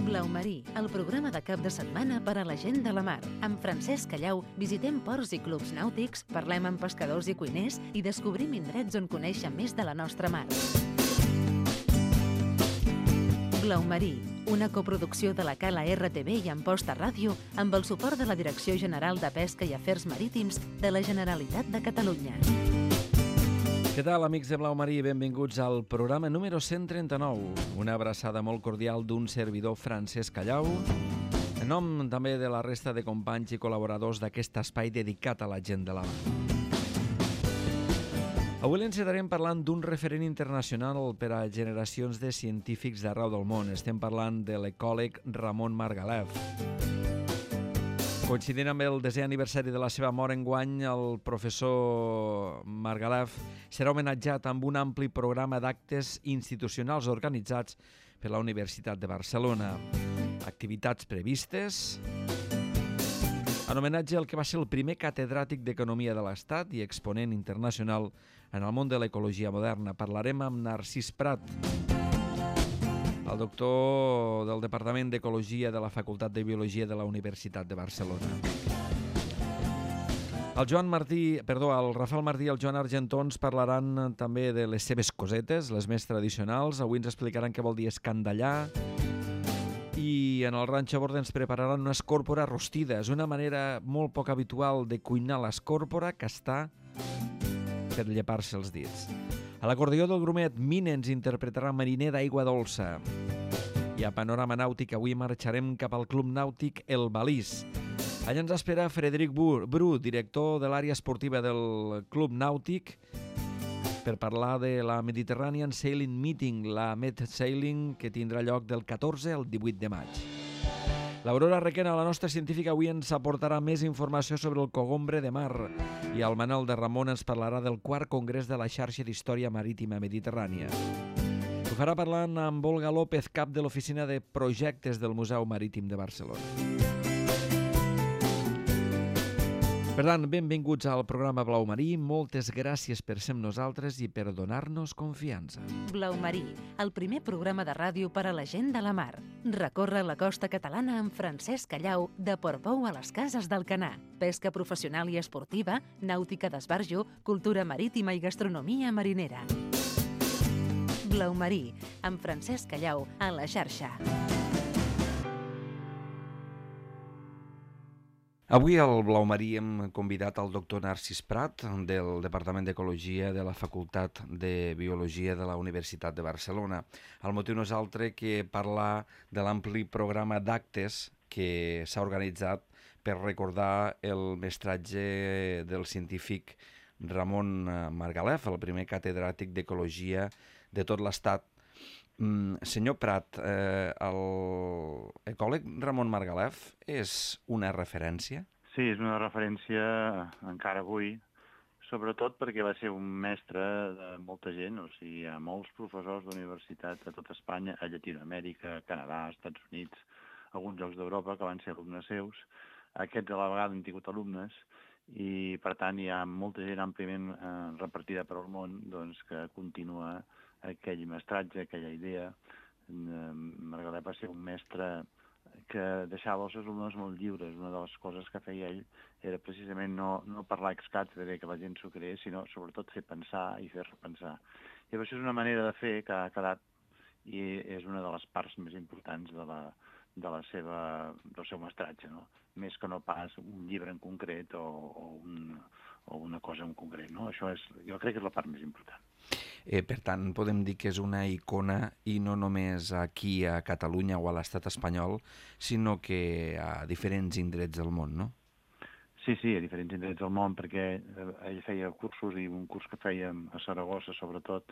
Blau Marí, el programa de cap de setmana per a la gent de la mar. Amb Francesc Callau visitem ports i clubs nàutics, parlem amb pescadors i cuiners i descobrim indrets on conèixer més de la nostra mar. Blau Marí, una coproducció de la Cala RTV i Amposta Ràdio amb el suport de la Direcció General de Pesca i Afers Marítims de la Generalitat de Catalunya. Què tal, amics de Blau Marí? Benvinguts al programa número 139. Una abraçada molt cordial d'un servidor, Francesc Callau, en nom també de la resta de companys i col·laboradors d'aquest espai dedicat a la gent de la mar. Avui l'encetarem parlant d'un referent internacional per a generacions de científics d'arreu del món. Estem parlant de l'ecòleg Ramon Margalef. Coincidint amb el 10è aniversari de la seva mort enguany, el professor Margalef serà homenatjat amb un ampli programa d'actes institucionals organitzats per la Universitat de Barcelona. Activitats previstes en homenatge al que va ser el primer catedràtic d'Economia de l'Estat i exponent internacional en el món de l'ecologia moderna. Parlarem amb Narcís Prat, el doctor del Departament d'Ecologia de la Facultat de Biologia de la Universitat de Barcelona. El Rafael Martí i el Joan Argentó ens parlaran també de les seves cosetes, les més tradicionals. Avui ens explicaran què vol dir escandallar. I en el Ranxo a Bord ens prepararan una escòrpora rostida. És una manera molt poc habitual de cuinar l'escòrpora, que està per llepar-se els dits. A l'acordió del Grumet, Mine ens interpretarà Mariner d'aigua dolça. I a Panorama Nàutic avui marxarem cap al Club Nàutic El Balís. Allà ens espera Frederic Bru, director de l'àrea esportiva del Club Nàutic, per parlar de la Mediterranean Sailing Meeting, la Med Sailing, que tindrà lloc del 14 al 18 de maig. L'Aurora Requena, la nostra científica, avui ens aportarà més informació sobre el cogombre de mar i el Manel de Ramon ens parlarà del 4è Congrés de la Xarxa d'Història Marítima Mediterrània. Ho farà parlant amb Olga López, cap de l'Oficina de Projectes del Museu Marítim de Barcelona. Per tant, benvinguts al programa Blau Marí. Moltes gràcies per ser amb nosaltres i per donar-nos confiança. Blau Marí, el primer programa de ràdio per a la gent de la mar. Recorre la costa catalana amb Francesc Callau, de Portbou a les Cases d'Alcanar. Pesca professional i esportiva, nàutica d'esbarjo, cultura marítima i gastronomia marinera. Blau Marí, amb Francesc Callau, a la xarxa. Avui al Blau Marí hem convidat el doctor Narcís Prat, del Departament d'Ecologia de la Facultat de Biologia de la Universitat de Barcelona. El motiu no és altre que parlar de l'ampli programa d'actes que s'ha organitzat per recordar el mestratge del científic Ramon Margalef, el primer catedràtic d'Ecologia de tot l'Estat. Senyor Prat, l'ecòleg Ramon Margalef és una referència? Sí, és una referència encara avui, sobretot perquè va ser un mestre de molta gent, o sigui, hi ha molts professors d'universitat a tot Espanya, a Llatinoamèrica, a Canadà, als Estats Units, alguns llocs d'Europa que van ser alumnes seus. Aquests a la vegada han tingut alumnes i, per tant, hi ha molta gent àmpliament repartida per al món doncs, que continua aquell mestratge, aquella idea. Margalef va ser un mestre que deixava els seus alumnes molt lliures. Una de les coses que feia ell era precisament no parlar ex càtedra, que la gent s'ho creés, sinó sobretot fer pensar i fer repensar. I això és una manera de fer que ha quedat i és una de les parts més importants del seu mestratge, no? Més que no pas un llibre en concret o una cosa en concret, no? Això jo crec que és la part més important. Per tant, podem dir que és una icona i no només aquí a Catalunya o a l'estat espanyol, sinó que a diferents indrets del món, no? Sí, a diferents indrets del món, perquè ell feia cursos i un curs que fèiem a Saragossa, sobretot,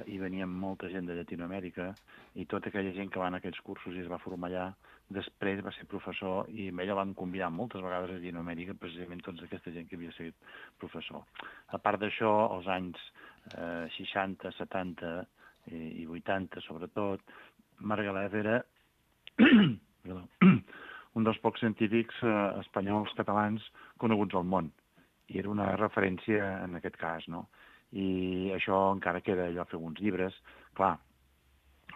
hi venia molta gent de Llatinoamèrica i tota aquella gent que va en aquells cursos i es va formar allà, després va ser professor i amb ell el van convidar moltes vegades a Llatinoamèrica, precisament tota aquesta gent que havia sigut professor. A part d'això, als anys 60, 70 i 80, sobretot, Margalef era un dels pocs científics espanyols catalans coneguts al món i era una referència en aquest cas, no? I això encara queda, allò, fer alguns llibres. Clar,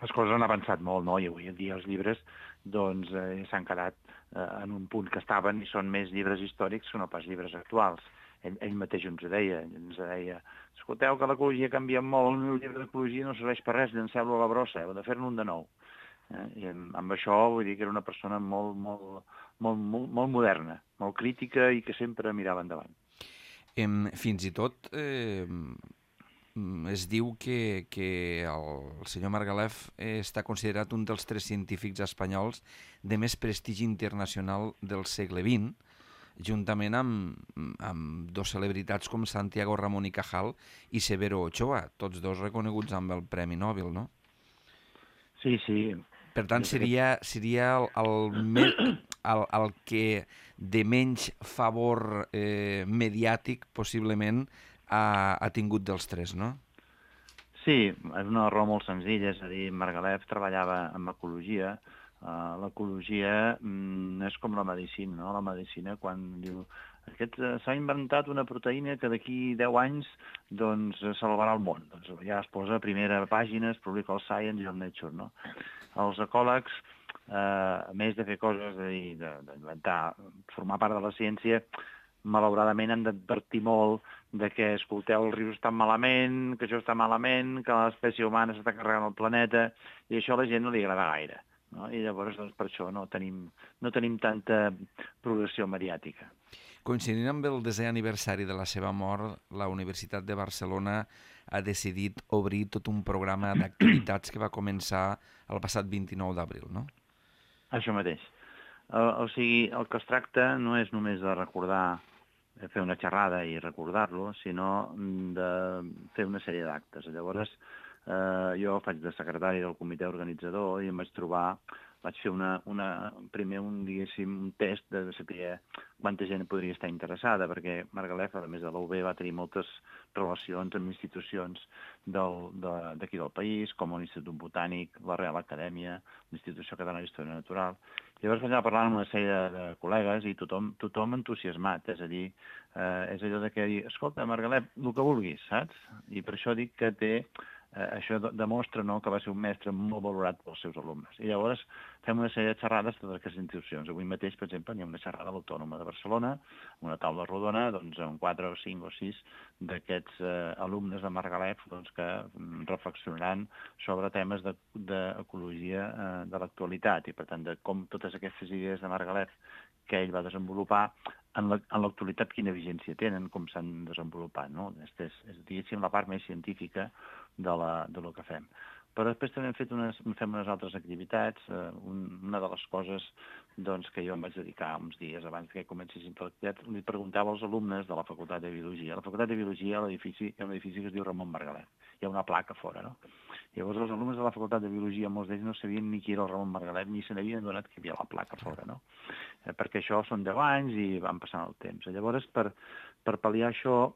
les coses han avançat molt, no? I avui en dia els llibres doncs, s'han quedat en un punt que estaven i són més llibres històrics que no pas llibres actuals. Ell mateix ens deia, escolteu que l'ecologia ha canviat molt, el meu llibre d'ecologia no serveix per res, llanceu-lo a la brossa, heu de fer-ne un de nou. I amb això vull dir que era una persona molt moderna, molt crítica i que sempre mirava endavant. Fins i tot es diu que el senyor Margalef està considerat un dels 3 científics espanyols de més prestigi internacional del segle XX, juntament amb 2 celebritats com Santiago Ramón y Cajal i Severo Ochoa, tots 2 reconeguts amb el Premi Nobel, no? Sí. Per tant, seria el que de menys favor mediàtic possiblement ha tingut dels 3, no? Sí, és una raó molt senzilla, és a dir, Margalef treballava amb ecologia. L'ecologia és com la medicina, no? La medicina, quan diu s'ha inventat una proteïna que d'aquí 10 anys doncs salvarà el món. Doncs ja es posa a primera pàgina, es publica al Science i al Nature, no? Els ecòlegs, a més de fer coses, d'inventar, formar part de la ciència, malauradament han d'advertir molt de que, escolteu, els rius estan malament, que això està malament, que l'espècie humana s'està carregant el planeta, i això a la gent no li agrada gaire. No? I llavors, doncs, per això no tenim tanta progressió mediàtica. Coincidint amb el 10è aniversari de la seva mort, la Universitat de Barcelona ha decidit obrir tot un programa d'activitats que va començar el passat 29 d'abril, no? Això mateix. O sigui, el que es tracta no és només de recordar, fer una xerrada i recordar-lo, sinó de fer una sèrie d'actes. Llavors, jo faig de secretari del comitè organitzador i em vaig fer primer un test de saber quanta gent podria estar interessada, perquè Margalef, a més de la UB, va tenir moltes relacions amb institucions d'aquí del país, com l'Institut Botànic, la Real Acadèmia, l'Institució Catalana d'Història Natural. Llavors vaig anar parlant amb una sèrie de col·legues i tothom entusiasmat, és a dir, és allò de que dir, escolta, Margalef, el que vulguis, saps? I per això dic que això demostra, no, que va ser un mestre molt valorat pels seus alumnes. I llavors fem una sèrie de xerrades de totes aquestes institucions. Avui mateix, per exemple, hi ha una xerrada a l'Autònoma de Barcelona, una taula rodona, doncs, amb 4 o 5 o 6 d'aquests alumnes de Margalef doncs, que reflexionaran sobre temes d'ecologia de l'actualitat i, per tant, de com totes aquestes idees de Margalef que ell va desenvolupar en l'actualitat quina vigència tenen, com s'han desenvolupat, no? És, diguéssim, la part més científica de lo que fem. Però després també fem unes altres activitats. Una de les coses doncs, que jo em vaig dedicar uns dies abans que comencessin l'activitat, li preguntava als alumnes de la Facultat de Biologia. A la Facultat de Biologia hi ha un edifici que es diu Ramon Margalef. Hi ha una placa fora, no? Llavors els alumnes de la Facultat de Biologia, molts d'ells no sabien ni qui era el Ramon Margalef, ni se n'havien donat que hi havia la placa fora, no? Perquè això són 10 anys i van passant el temps. Llavors, per pal·liar això,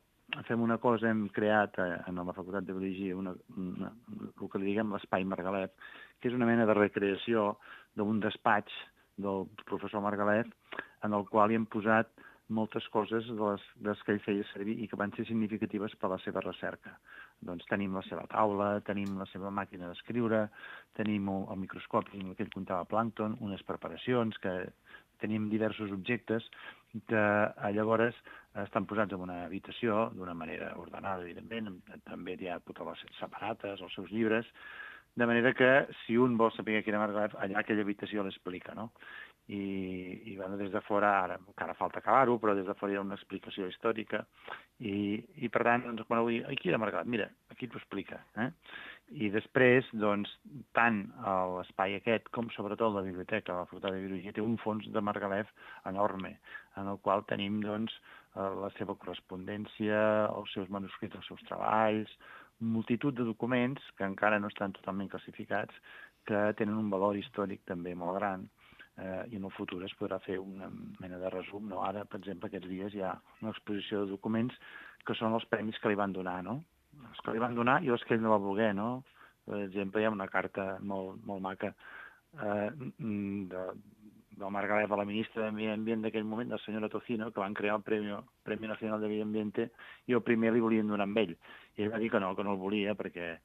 fem una cosa, hem creat en la Facultat de Biologia el que li diguem l'Espai Margalef, que és una mena de recreació d'un despatx del professor Margalef, en el qual hi hem posat moltes coses de les que ell feia servir i que van ser significatives per a la seva recerca. Doncs tenim la seva taula, tenim la seva màquina d'escriure, tenim el microscopi en què ell comptava plàncton, unes preparacions, que tenim diversos objectes que llavors estan posats en una habitació d'una manera ordenada, evidentment, també hi ha totes les separates, els seus llibres, de manera que si un vol saber quina Margalef, allà aquella habitació l'explica, no? I bueno, des de fora, ara encara falta acabar-ho, però des de fora hi ha una explicació històrica i per tant, doncs, quan avui, qui era Margalef? Mira, aquí t'ho explica, I després, doncs, tant l'espai aquest com sobretot la biblioteca, la Facultat de Biologia, té un fons de Margalef enorme, en el qual tenim, doncs, la seva correspondència, els seus manuscrits, els seus treballs, multitud de documents que encara no estan totalment classificats, que tenen un valor històric també molt gran, i en el futur es podrà fer una mena de resum, no? Ara, per exemple, aquests dies hi ha una exposició de documents que són els premis que li van donar, no? Els que li van donar i els que ell no va voler, no? Per exemple, hi ha una carta molt maca del Margalef a la ministra de Medi Ambient d'aquell moment, la senyora Tocino, que van crear el Premi Nacional de Medi Ambiente, i el primer li volien donar amb ell. I ell va dir que no el volia, perquè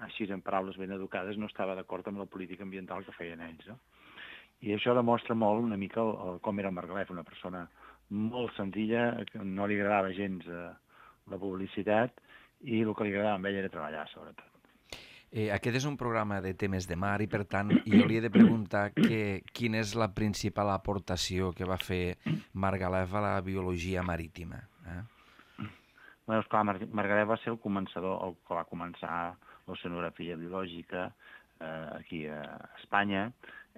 així en paraules ben educades, no estava d'acord amb la política ambiental que feien ells, no? I això demostra molt una mica com era Margalef, una persona molt senzilla, que no li agradava gens la publicitat, i el que li agradava a ell era treballar, sobretot. Aquest és un programa de temes de mar i, per tant, jo li he de preguntar quina és la principal aportació que va fer Margalef a la biologia marítima. Bé, esclar, Margalef va ser el començador, el que va començar l'oceanografia biològica aquí a Espanya.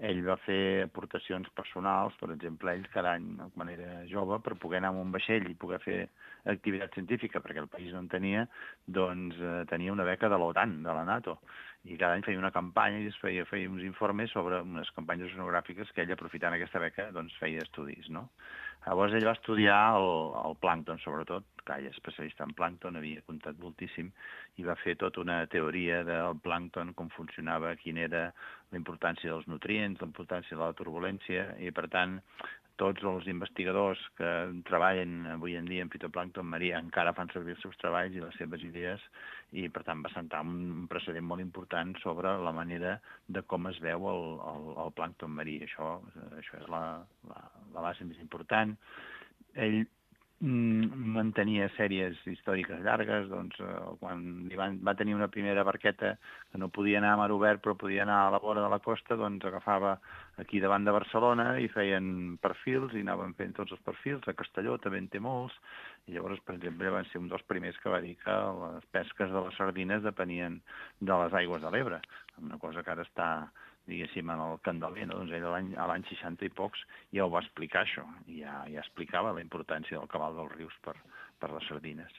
Ell va fer aportacions personals, per exemple, ell cada any, quan era jove, per poder anar amb un vaixell i poder fer activitat científica, perquè el país no en tenia, doncs tenia una beca de l'OTAN, de la NATO, i cada any feia una campanya i feia uns informes sobre unes campanyes oceanogràfiques que ell, aprofitant aquesta beca, doncs feia estudis, no? Llavors ell va estudiar el plàncton, sobretot, que ell és especialista en plàncton, havia comptat moltíssim, i va fer tota una teoria del plàncton, com funcionava, quina era la importància dels nutrients, la importància de la turbulència, i per tant tots els investigadors que treballen avui en dia en fitoplàncton marí encara fan servir els seus treballs i les seves idees, i per tant va sentar un precedent molt important sobre la manera de com es veu el plàncton marí. Això és la base més important. Ell mantenia sèries històriques llargues, doncs quan va tenir una primera barqueta que no podia anar a mar obert però podia anar a la vora de la costa, doncs agafava aquí davant de Barcelona i feien perfils i anaven fent tots els perfils. A Castelló també en té molts, i llavors, per exemple, van ser un dels primers que va dir que les pesques de les sardines depenien de les aigües de l'Ebre, una cosa que ara està, diguéssim, en el candeler, no? Doncs ell a l'any 60 i pocs ja ho va explicar, això, i ja explicava la importància del cabal dels rius per les sardines.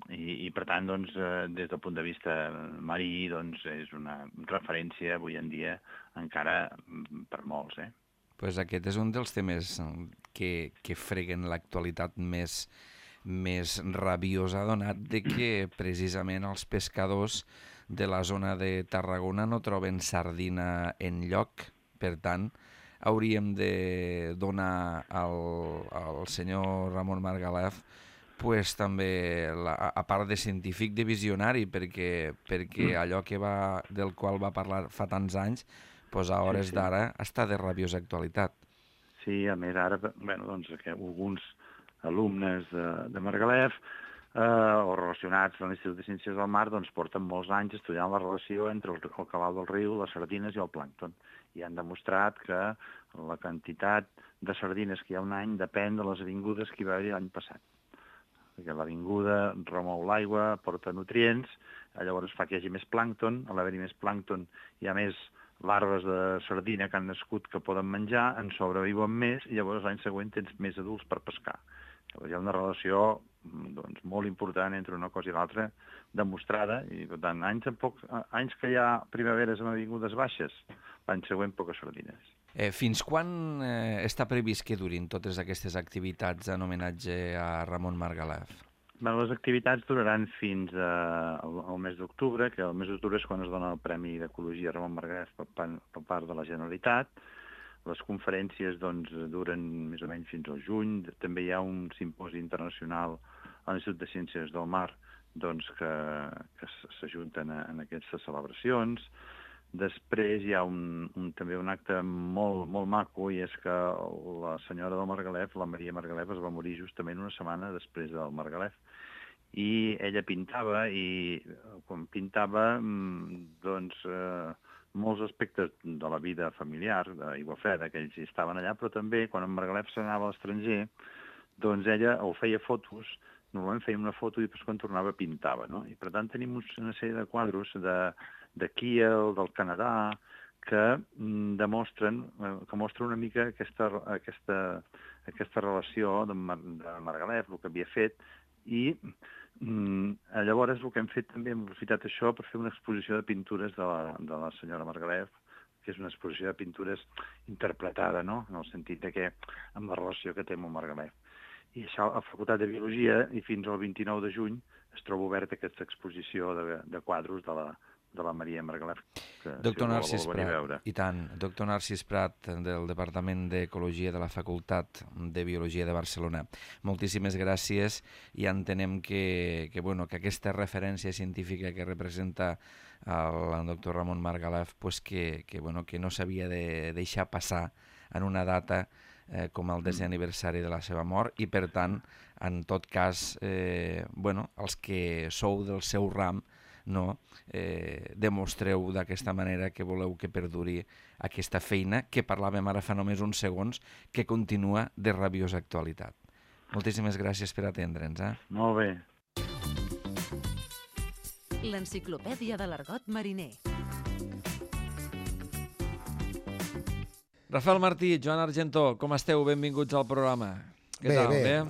I per tant, doncs, des del punt de vista marí, doncs, és una referència avui en dia encara per molts, Pues aquest és un dels temes que freguen l'actualitat més rabiosa, donat de que precisament els pescadors de la zona de Tarragona no troben sardina enlloc. Per tant, hauríem de donar al senyor Ramon Margalef pues, també, a part de científic, de visionari, perquè allò del qual va parlar fa tants anys, pues, a hores d'ara està de rabiosa actualitat. Sí, a més ara, doncs, alguns alumnes de Margalef o relacionats a l'Institut de Ciències del Mar, doncs porten molts anys estudiant la relació entre el cabal del riu, les sardines i el plàncton. I han demostrat que la quantitat de sardines que hi ha un any depèn de les avingudes que hi va haver l'any passat. Perquè l'avinguda remou l'aigua, porta nutrients, llavors fa que hi hagi més plàncton, a l'haver-hi més plàncton hi ha més larves de sardina que han nascut que poden menjar, en sobreviuen més, i llavors l'any següent tens més adults per pescar. Llavors hi ha una relació doncs, molt important entre una cosa i l'altra, demostrada, i per tant, anys que hi ha primaveres amb avingudes baixes, l'any següent poques sardines. Fins quan està previst que durin totes aquestes activitats en homenatge a Ramon Margalef? Les activitats duraran fins al mes d'octubre, que el mes d'octubre és quan es dona el Premi d'Ecologia a Ramon Margalef per part de la Generalitat. Les conferències doncs, duren més o menys fins al juny. També hi ha un simposi internacional a l'Institut de Ciències del Mar doncs, que s'ajunten en aquestes celebracions. Després hi ha també un acte molt maco, i és que la senyora del Margalef, la Maria Margalef, es va morir justament una setmana després del Margalef. I ella pintava, i quan pintava, doncs, molts aspectes de la vida familiar d'Aiguafreda, que ells hi estaven allà, però també, quan en Margalef s'anava a l'estranger, doncs ella o feia fotos, normalment feia una foto i després quan tornava pintava, no? I per tant tenim una sèrie de quadros de Kiel, del Canadà, que mostren una mica aquesta relació de Margalef, el que havia fet, i llavors el que hem fet també, hem aprofitat això per fer una exposició de pintures de la senyora Margalef, que és una exposició de pintures interpretada, no?, en el sentit que amb la relació que té amb el Margalef. I això a la Facultat de Biologia, i fins al 29 de juny, es troba oberta aquesta exposició de quadros de la Maria Margalef. Doctor Narcís Prat, i tant. Doctor Narcís Prat, del Departament d'Ecologia de la Facultat de Biologia de Barcelona. Moltíssimes gràcies, i entenem que aquesta referència científica que representa al doctor Ramon Margalef pues, que no s'havia de deixar passar en una data com el 10è aniversari de la seva mort i, per tant, en tot cas, els que sou del seu ram, demostreu d'aquesta manera que voleu que perduri aquesta feina que parlàvem ara fa només uns segons, que continua de rabiosa actualitat. Moltíssimes gràcies per atendre'ns. Molt bé. L'enciclopèdia de l'argot mariner. Rafael Martí, Joan Argentó, com esteu? Benvinguts al programa. Què tal? Bé.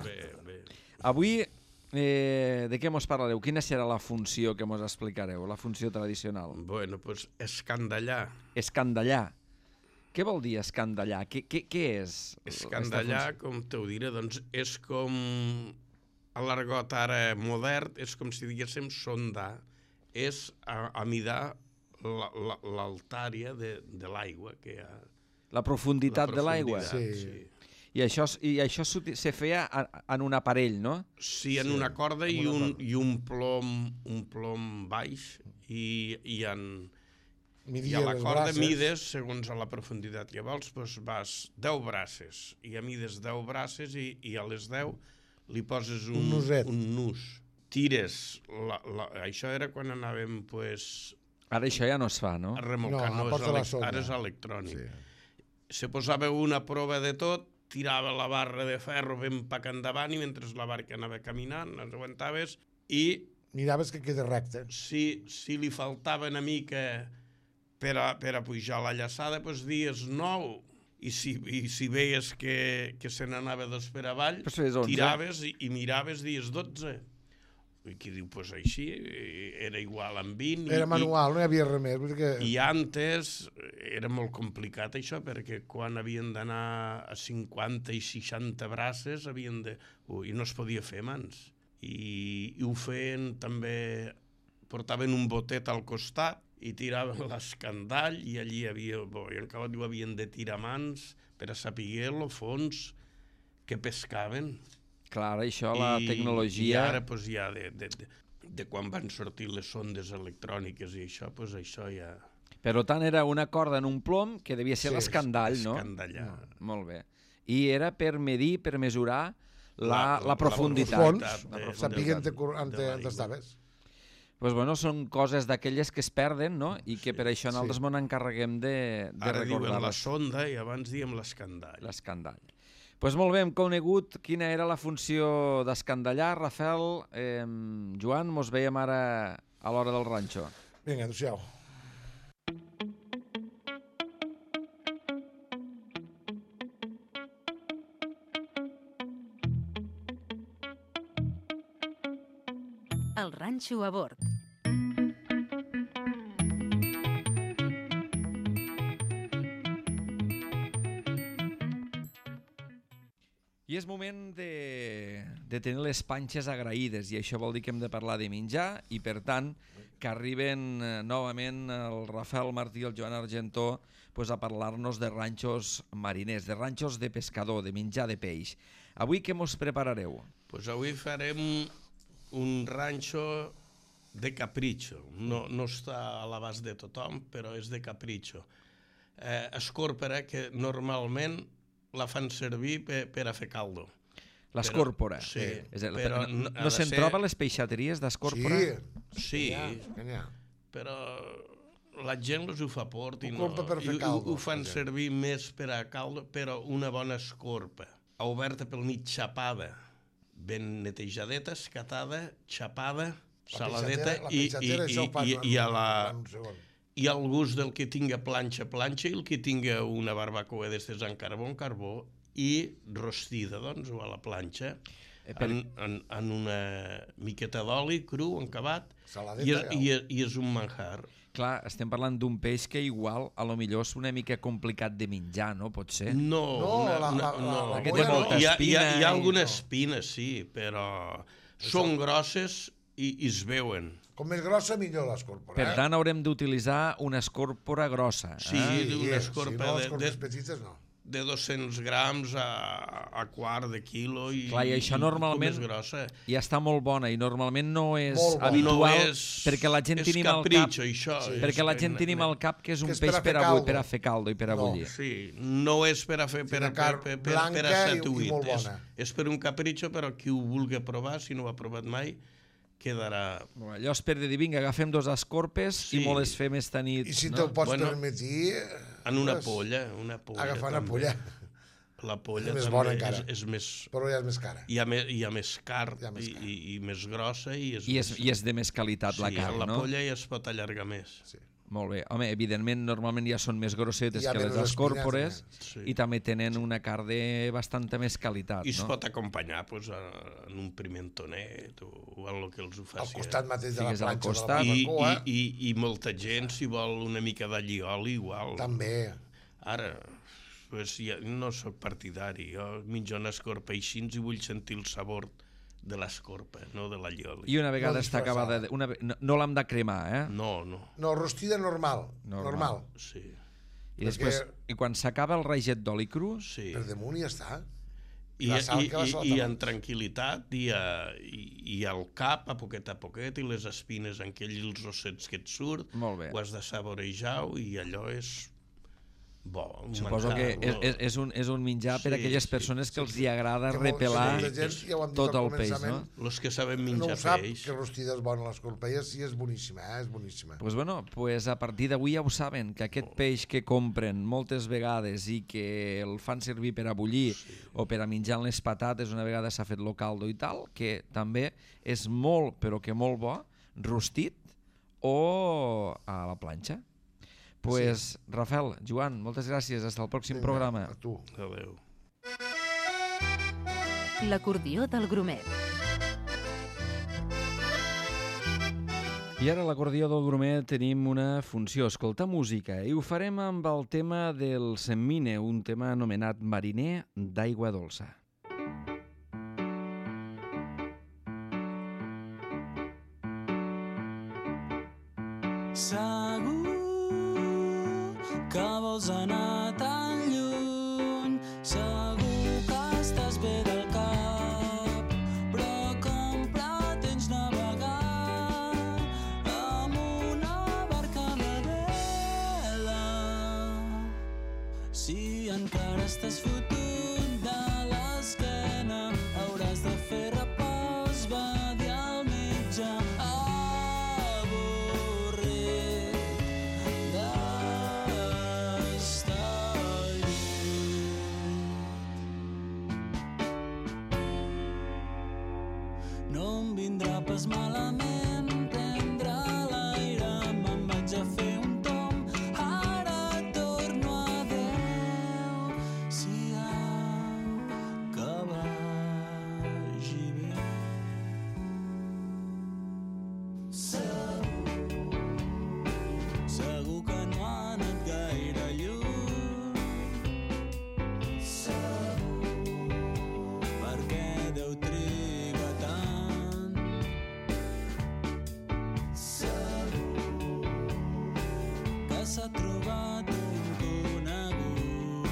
Avui, de què mos parlareu? Quina serà la funció que mos explicareu, la funció tradicional? Bueno, doncs escandallar. Escandallar. Què vol dir escandallar? Què és? Escandallar, com t'ho diré, doncs és com a l'argot ara modern, és com si diguéssim sondar, és amidar l'altària de l'aigua que hi ha. La profunditat de l'aigua? Sí. I això se feia en un aparell, no? Sí, en una corda i un plom baix i a la corda mides, segons a la profunditat que vols, doncs vas 10 braces i a mides 10 braces i a les 10 li poses un nus. Tires, això era quan anàvem, doncs... Ara això ja no es fa, no? A remolcar, ara és electrònic. Se posava una prova de tot, tirava la barra de ferro ben pac endavant i mentre la barca anava caminant, les aguantaves i... Miraves que queda recte. Si li faltava una mica per a pujar la llaçada, doncs dies 9. I si veies que se n'anava 2 per avall, tiraves i miraves dies 12. I qui diu, doncs així, era igual amb 20. Era manual, no hi havia res més. I antes era molt complicat això, perquè quan havien d'anar a 50 i 60 braces, i no es podia fer mans. I ho feien també, portaven un botet al costat i tiraven l'escandall i allí havien de tirar mans per a saber el fons que pescaven. Clar, això, la tecnologia... I ara, doncs, ja, de quan van sortir les sondes electròniques i això, doncs això ja... Per tant, era una corda en un plom que devia ser l'escandall, no? Escandallar. Molt bé. I era per medir, per mesurar la profunditat. Sapiguent on estaves. Doncs bueno, són coses d'aquelles que es perden, no? I que per això nosaltres ens encarreguem de recordar-les. Ara diuen la sonda i abans diem l'escandall. L'escandall. Doncs molt bé, hem conegut quina era la funció d'escandallar. Rafael, Joan, mos veiem ara a l'hora del ranxo. Vinga, adéu-siau. El ranxo a bord. I és moment de tenir les panxes agraïdes, i això vol dir que hem de parlar de menjar, i per tant que arriben novament el Rafael Martí i el Joan Argentó a parlar-nos de ranxos mariners, de ranxos de pescador, de menjar de peix. Avui què mos preparareu? Doncs avui farem un ranxo de capritxo. No està a l'abast de tothom, però és de capritxo. Escòrpora, que normalment la fan servir per a fer caldo. L'escòrpora? Sí. No se'n troba a les peixateries d'escòrpora? Sí, però la gent les ho fa port i ho fan servir més per a caldo, però una bona escorpa, oberta pel mig, xapada, ben netejadeta, escatada, xapada, saladeta i al gust del que tinga planxa i el que tinga una barbacoa d'estes en carbó i rostida, doncs, o a la planxa, en una miqueta d'oli cru, encabat, i és un manjar. Clar, estem parlant d'un peix que igual, a lo millor és una mica complicat de menjar, no? Pot ser? No. Aquest té molta espina. Hi ha alguna espina, sí, però són grosses i es veuen. Com més grossa, millor l'escòrpora. Per tant, haurem d'utilitzar una escòrpora grossa. Sí, una escorpa si no, escorpes petites no. de 200 grams a quart de quilo i, clar, i això normalment més grossa. ja està molt bona i normalment no és Molt bona. habitual No és, perquè la gent tenim al cap capritxo, això. Sí. perquè la gent tenim al cap que és un Que és peix per a fer caldo i per a No. bullir. Sí, no és per a fer per a carn blanca per a i 7-8. molt bona. És per un capritxo, però qui ho vulgui provar, si no ho ha provat mai, quedarà... Bueno, allò és per dir, vinga, agafem 2 escorpes Sí. i me les fem esta nit. I si no? te'l pots Bueno, permetir... En una pues, polla. Agafar una també. polla, La polla És més també bona encara. és més... però ja és més cara. Hi ha més carn Hi ha més carn. i més grossa i és, I és de més qualitat la carn, la no? polla ja es pot allargar més. Sí. Molt bé. Home, evidentment, normalment ja són més grossetes Hi ha que les menys escòrpores espines, Sí. i també tenen una carn de bastanta més qualitat, I es no? pot acompanyar pues, en un pimentonet o en el que els ho faci. Al costat mateix de la Fiques al planxa costat. de la I, barbacoa, i molta gent, si vol una mica d'allioli, igual. també. Ara, pues, ja, no sóc partidari. Jo menjo una escorpa així i vull sentir el sabor de l'escorpa, no de l'allioli. I una vegada No està acabada... No l'hem de cremar, eh? No. No, rostida normal. Normal. Sí. I després, i quan s'acaba el raiget d'oli cru, Sí. Per damunt i ja està. I, la sal que la i, sal i també. en tranquil·litat i al cap a poquet i les espines en aquells ossets que et surt Molt bé. ho has de saborejar i allò és bo. suposo que és un menjar per a aquelles persones que els hi agrada Que repelar molta gent, ja ho hem dit tot al el peix, no? començament, Los que saben no menjar ho sap, peix. que rostida és bona l'escorpa. I sí, és boníssima, és boníssima. Pues bueno, pues a partir d'avui ja ho saben, que aquest peix que compren moltes vegades i que el fan servir per a bullir o per a menjar en les patates una vegada s'ha fet lo caldo i tal, que també és molt, però que molt bo, rostit o a la planxa. Pues, Rafael, Joan, moltes gràcies. Hasta el pròxim programa. A tu. Adéu. L'acordió del Grumet. I ara a l'acordió del Grumet tenim una funció, escoltar música, i ho farem amb el tema del Semmine, un tema anomenat Mariner d'aigua dolça. Segur que vols anar tan lluny, segur que estàs bé del cap, però com pretens navegar amb una barca de vela si encara estàs fotut de l'esquena? Hauràs de fer repòs, va dir al metge. No em vindrà pas malament prendre l'aire, me'n vaig a fer un tomb, ara torno a Déu, si que vagi bé. Segur que no ha anat gaire lluny, perquè Déu triga tant. Que s'ha trobat un conegut,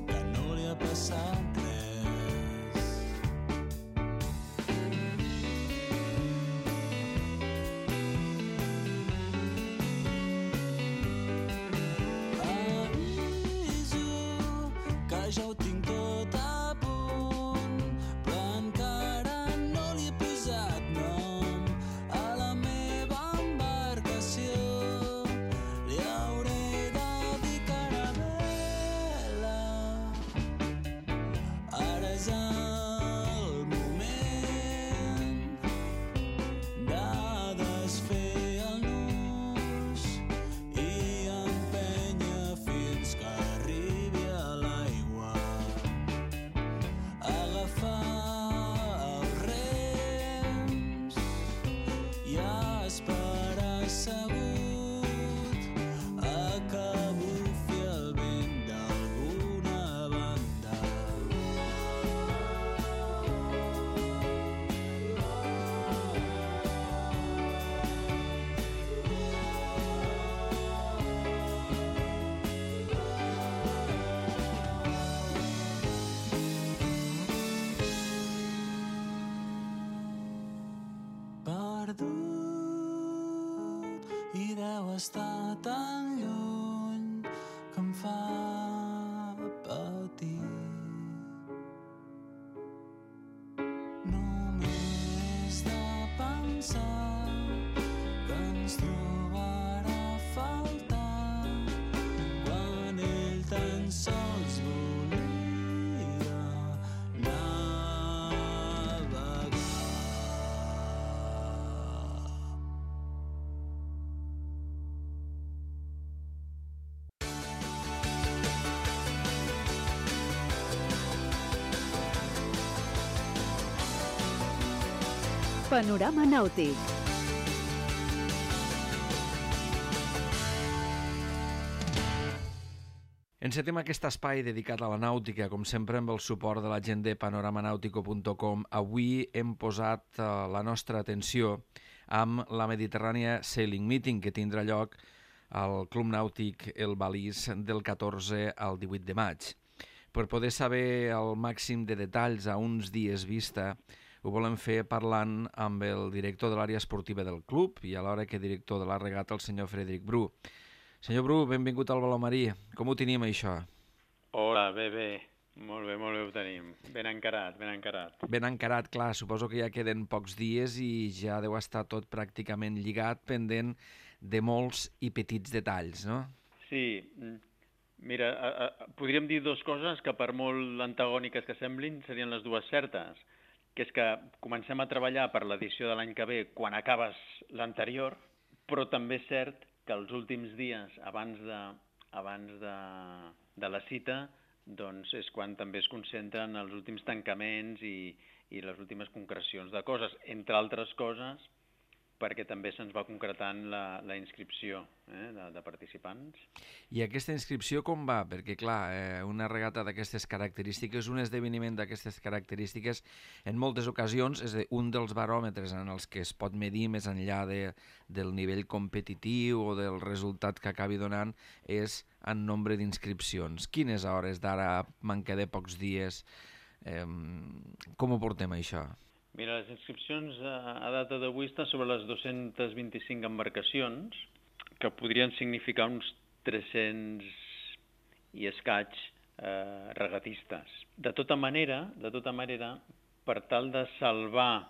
que no li ha passat res. Aviso que ja ho tinc tot a punt, però encara no li he posat nom a tan lluny que em fa patir. Només de pensar que ens trobarà a faltar quan ell tan sols volia navegar. Panorama nàutic. Encetem aquest espai dedicat a la nàutica, com sempre amb el suport de la gent de panoramanautico.com. Avui hem posat la nostra atenció amb la Mediterrània Sailing Meeting, que tindrà lloc al Club Nàutic El Balís del 14 al 18 de maig. Per poder saber el màxim de detalls a uns dies vista, ho volem fer parlant amb el director de l'àrea esportiva del club i alhora que director de la regata, el senyor Frederic Bru. Senyor Bru, benvingut al Baló Marí. Com ho tenim, això? Hola, bé. Molt bé ho tenim. Ben encarat. Ben encarat, clar. Suposo que ja queden pocs dies i ja deu estar tot pràcticament lligat, pendent de molts i petits detalls, no? Sí, mira, podríem dir dues coses que per molt antagòniques que semblin serien les dues certes, que és que comencem a treballar per l'edició de l'any que ve quan acabes l'anterior, però també és cert que els últims dies abans de la cita doncs és quan també es concentren els últims tancaments i les últimes concrecions de coses, entre altres coses perquè també se'ns va concretant la inscripció de participants. I aquesta inscripció com va? Perquè, clar, una regata d'aquestes característiques, un esdeveniment d'aquestes característiques, en moltes ocasions és un dels baròmetres en els que es pot medir més enllà del nivell competitiu o del resultat que acabi donant és en nombre d'inscripcions. Quines hores d'ara, manca de pocs dies, com ho portem, això? Mira, les inscripcions a data d'avui estan sobre les 225 embarcacions, que podrien significar uns 300 i escaig regatistes. De tota manera, per tal de salvar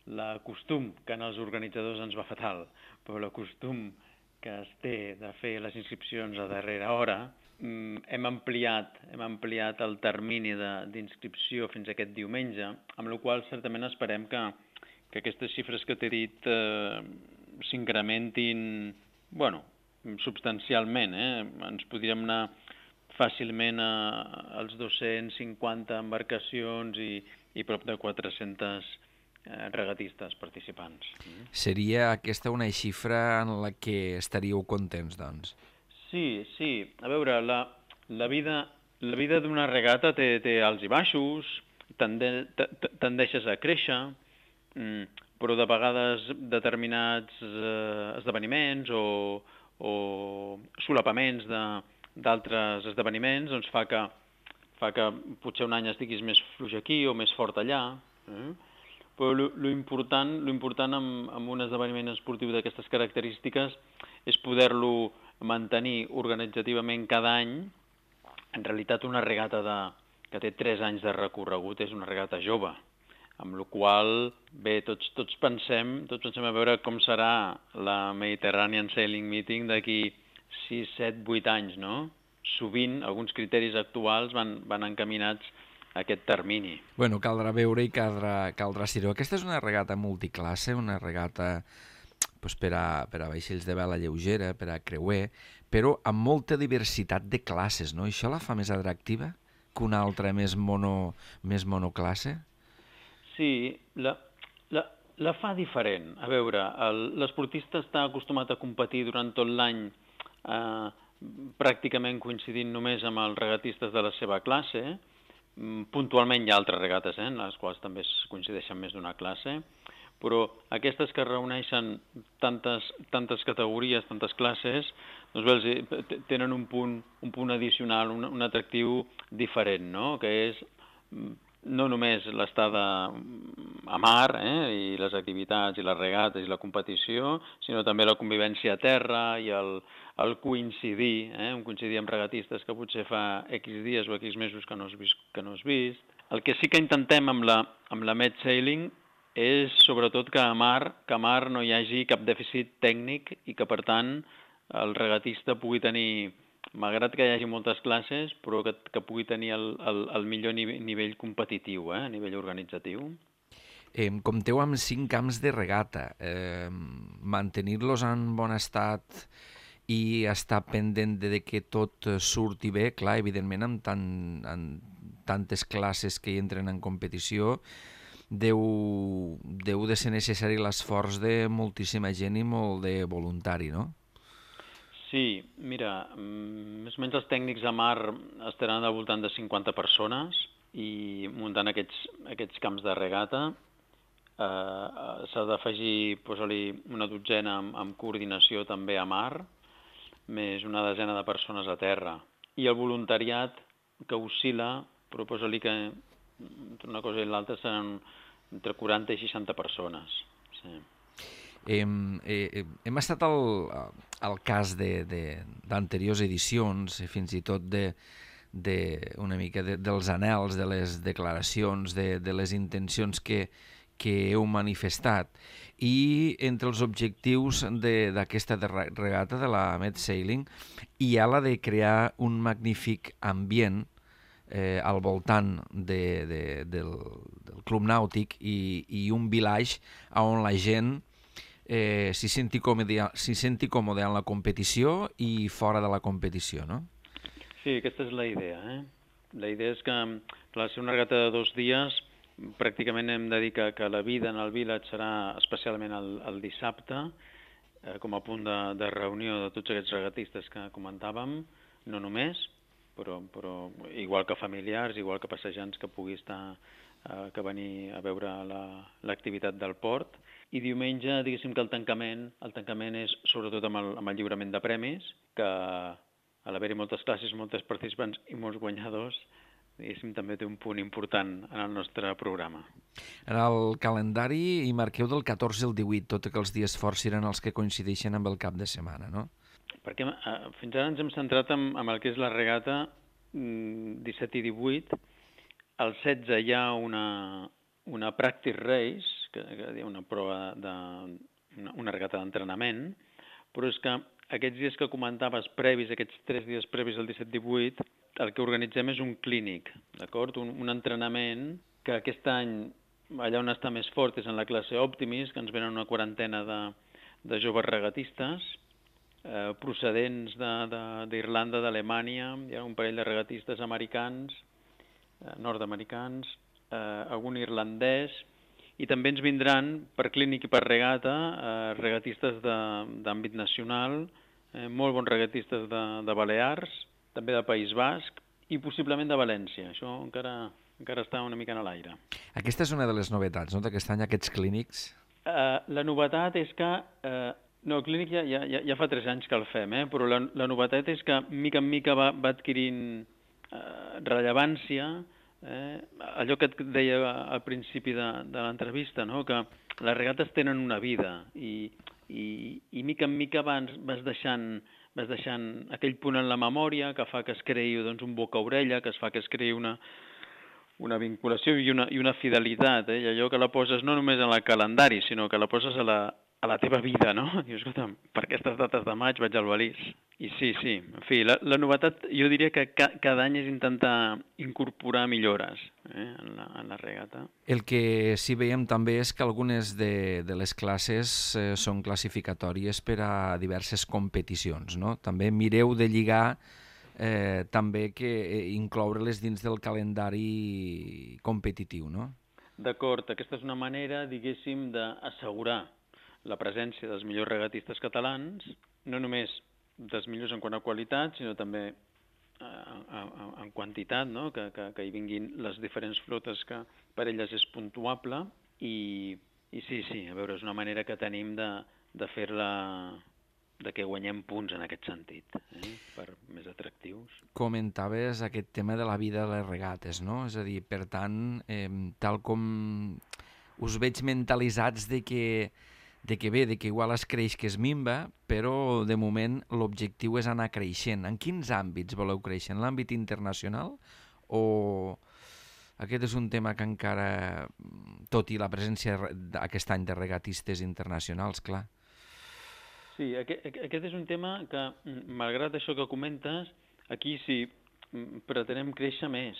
l'acostum, que en els organitzadors ens va fatal, però l'acostum que es té de fer les inscripcions a darrera hora, hem ampliat el termini d'inscripció fins aquest diumenge, amb la qual certament esperem que aquestes xifres que t'he dit s'incrementin, substancialment. Ens podríem anar fàcilment als 250 embarcacions i prop de 400 regatistes participants. Seria aquesta una xifra en la que estaríeu contents, doncs? Sí. A veure, la vida d'una regata té alts i baixos, tendeixes a créixer, però de vegades determinats esdeveniments o solapaments d'altres esdeveniments doncs fa que potser un any estiguis més fluix aquí o més fort allà. Però l'important amb un esdeveniment esportiu d'aquestes característiques és poder-lo mantenir organitzativament cada any. En realitat una regata que té 3 anys de recorregut és una regata jove, amb la qual bé, tots pensem a veure com serà la Mediterranean Sailing Meeting d'aquí 6, 7, 8 anys, no? Sovint alguns criteris actuals van encaminats a aquest termini. Bueno, caldrà veure i caldrà ser-ho. Aquesta és una regata multiclasse, una regata per a vaixells de vela lleugera, per a creuer, però amb molta diversitat de classes, no? Això la fa més atractiva que una altra més monoclasse? Sí, la fa diferent. A veure, l'esportista està acostumat a competir durant tot l'any pràcticament coincidint només amb els regatistes de la seva classe. Puntualment hi ha altres regates, en les quals també es coincideixen més d'una classe, però aquestes que reuneixen tantes categories, tantes classes, doncs bé, tenen un punt addicional, un atractiu diferent, no? Que és no només l'estada a mar i les activitats i les regates i la competició, sinó també la convivència a terra i el coincidir, coincidir amb regatistes que potser fa X dies o X mesos que no has vist. El que sí que intentem amb la Med Sailing és sobretot que a mar no hi hagi cap dèficit tècnic i que, per tant, el regatista pugui tenir, malgrat que hi hagi moltes classes, però que pugui tenir el millor nivell competitiu, a nivell organitzatiu. Compteu amb 5 camps de regata. Mantenir-los en bon estat i estar pendent de que tot surti bé, clar, evidentment amb tantes classes que hi entren en competició, deu de ser necessari l'esforç de moltíssima gent i molt de voluntari, no? Sí, mira, més o menys els tècnics a mar estaran al voltant de 50 persones i muntant aquests camps de regata s'ha d'afegir, posa-li una dotzena amb coordinació també a mar, més una desena de persones a terra. I el voluntariat que oscil·la, però posa-li que entre una cosa i l'altra seran entre 40 i 60 persones. Sí. Hem estat al cas d'anteriors edicions, fins i tot una mica dels anhels, de les declaracions, de les intencions que heu manifestat. I entre els objectius d'aquesta regata, de la Med Sailing, hi ha la de crear un magnífic ambient al voltant del club nàutic i un village on la gent s'hi senti còmode en la competició i fora de la competició, no? Sí, aquesta és la idea. La idea és que, per ser una regata de 2 dies, pràcticament hem de dir que la vida en el village serà especialment el dissabte, com a punt de reunió de tots aquests regatistes que comentàvem, no només, però igual que familiars, igual que passejants que pugui estar, que venir a veure l'activitat del port. I diumenge, diguéssim que el tancament és sobretot amb el lliurament de premis, que a l'haver-hi moltes classes, moltes participants i molts guanyadors, diguéssim, també té un punt important en el nostre programa. En el calendari hi marqueu del 14 al 18, tot que els dies forts seran els que coincideixen amb el cap de setmana, no? Perquè fins ara ens hem centrat en el que és la regata 17 i 18. Al 16 hi ha una practice race, que és una prova una regata d'entrenament, però és que aquests dies que comentaves previs, aquests 3 dies previs al 17-18, el que organitzem és un clínic, d'acord? Un entrenament que aquest any, allà on està més fort és en la classe Optimis, que ens venen una quarantena de joves regatistes, procedents d'Irlanda, d'Alemanya, hi ha un parell de regatistes americans, nord-americans, algun irlandès, i també ens vindran per clínic i per regata regatistes d'àmbit nacional, molt bons regatistes de Balears, també de País Basc i possiblement de València. Això encara està una mica en l'aire. Aquesta és una de les novetats, no?, d'aquest any, aquests clínics. La novetat és que... No, el clínic ja fa 3 anys que el fem, però la novetat és que mica en mica va adquirint rellevància, allò que et deia al principi de l'entrevista, no?, que les regates tenen una vida i mica en mica vas deixant aquell punt en la memòria que fa que es creï un boca-orella, que es fa que es creï una vinculació i una fidelitat, i allò que la poses no només en el calendari, sinó que la poses a la teva vida, no? Dius, escolta, per aquestes dates de maig vaig al Balís. I sí, en fi, la novetat jo diria que cada any és intentar incorporar millores en la regata. El que sí veiem també és que algunes de les classes són classificatòries per a diverses competicions, no? També mireu de lligar també que incloure-les dins del calendari competitiu, no? D'acord, aquesta és una manera, diguéssim, d'assegurar la presència dels millors regatistes catalans, no només dels millors en quant a qualitat, sinó també en quantitat, no? Que hi vinguin les diferents flotes que per elles és puntuable, i sí, a veure, és una manera que tenim de fer-la que guanyem punts en aquest sentit, per més atractius. Comentaves aquest tema de la vida de les regates, no? És a dir, per tant, tal com us veig mentalitzats de que igual es creix que es minva, però de moment l'objectiu és anar creixent. En quins àmbits voleu créixer? En l'àmbit internacional o aquest és un tema que encara, tot i la presència aquest any de regatistes internacionals, clar? Sí, aquest és un tema que, malgrat això que comentes, aquí sí pretenem créixer més.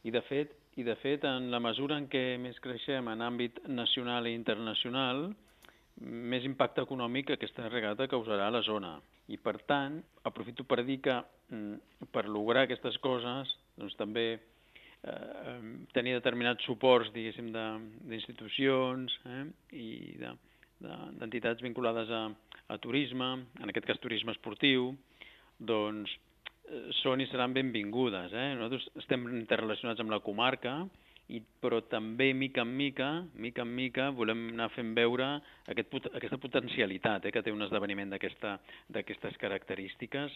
I de fet, en la mesura en què més creixem en àmbit nacional i internacional, més impacte econòmic aquesta regata causarà a la zona. I, per tant, aprofito per dir que per lograr aquestes coses, doncs també tenir determinats suports, diguéssim, d'institucions i d'entitats vinculades a turisme, en aquest cas turisme esportiu, doncs són i seran benvingudes. Nosaltres estem interrelacionats amb la comarca, però també, mica en mica, volem anar fent veure aquesta potencialitat que té un esdeveniment d'aquestes característiques.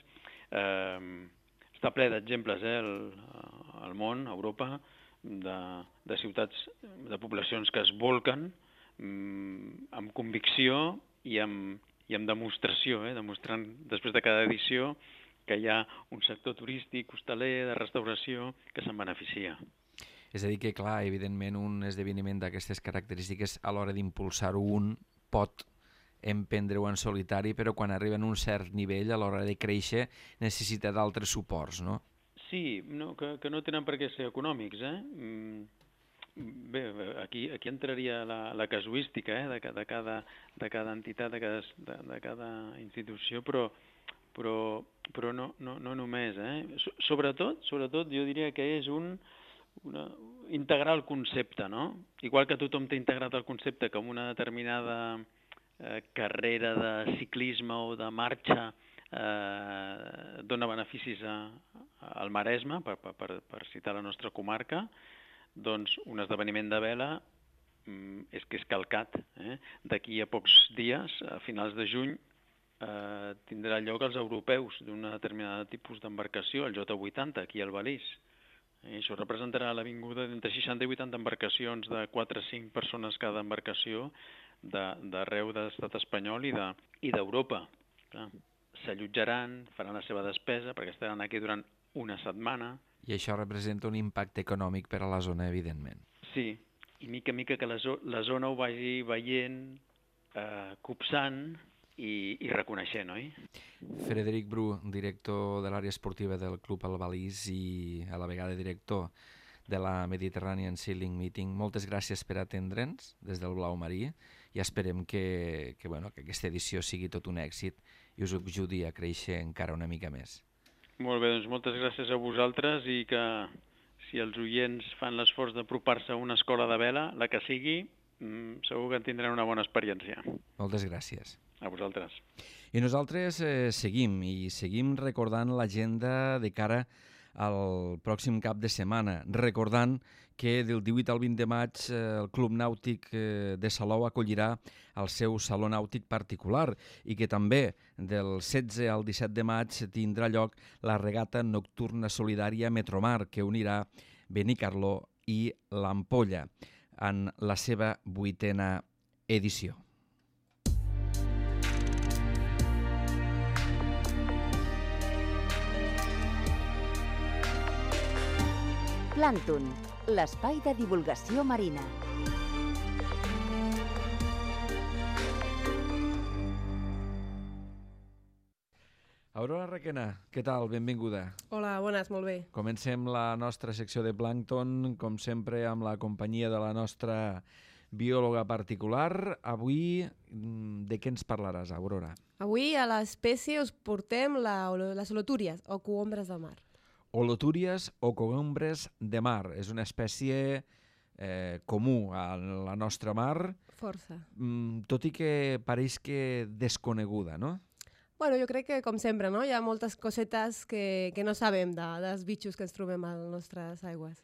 Està ple d'exemples al món, a Europa, de ciutats, de poblacions que es volquen amb convicció i amb demostració, demostrant després de cada edició que hi ha un sector turístic, hostaler, de restauració, que se'n beneficia. És a dir que, clar, evidentment un esdeveniment d'aquestes característiques a l'hora d'impulsar-ho un pot emprendre-ho en solitari, però quan arriba a un cert nivell, a l'hora de créixer, necessita d'altres suports, no? Sí, que no tenen per què ser econòmics. Bé, aquí entraria la casuística de cada entitat, de cada institució, però no només. Sobretot, jo diria que és integrar el concepte, no? Igual que tothom té integrat el concepte com una determinada carrera de ciclisme o de marxa dona beneficis al Maresme, per citar la nostra comarca, doncs un esdeveniment de vela és que és calcat. D'aquí a pocs dies, a finals de juny, tindrà lloc els europeus d'una determinada tipus d'embarcació, el J80, aquí al Balís. I això representarà l'avinguda d'entre 60 i 80 embarcacions de 4 a 5 persones cada embarcació d'arreu de l'estat espanyol i d'Europa. S'allotjaran, faran la seva despesa, perquè estaran aquí durant una setmana. I això representa un impacte econòmic per a la zona, evidentment. Sí, i mica en mica que la zona ho vagi veient, copsant i reconeixent, oi? Frederic Bru, director de l'àrea esportiva del Club Albalís i a la vegada director de la Mediterranean Sailing Meeting, moltes gràcies per atendre'ns des del Blau Marí i esperem que aquesta edició sigui tot un èxit i us ajudi a créixer encara una mica més. Molt bé, doncs moltes gràcies a vosaltres i que si els oients fan l'esforç d'apropar-se a una escola de vela, la que sigui, segur que en tindran una bona experiència. Moltes gràcies. A vosaltres. I nosaltres seguim recordant l'agenda de cara al pròxim cap de setmana, recordant que del 18 al 20 de maig el Club Nàutic de Salou acollirà el seu saló nàutic particular i que també del 16 al 17 de maig tindrà lloc la regata nocturna solidària Metromar, que unirà Benicarló i l'Ampolla en la seva 8a edició. Plàncton, l'espai de divulgació marina. Aurora Requena, què tal? Benvinguda. Hola, bones, molt bé. Comencem la nostra secció de plàncton, com sempre, amb la companyia de la nostra biòloga particular. Avui, de què ens parlaràs, Aurora? Avui a l'espècie us portem les holotúries, o cogombres del mar. Holotúries o cogombres de mar. És una espècie comú a la nostra mar. Força. Tot i que pareix que desconeguda, no? Bueno, jo crec que, com sempre, no? Hi ha moltes cosetes que no sabem dels bitxos que ens trobem a les nostres aigües.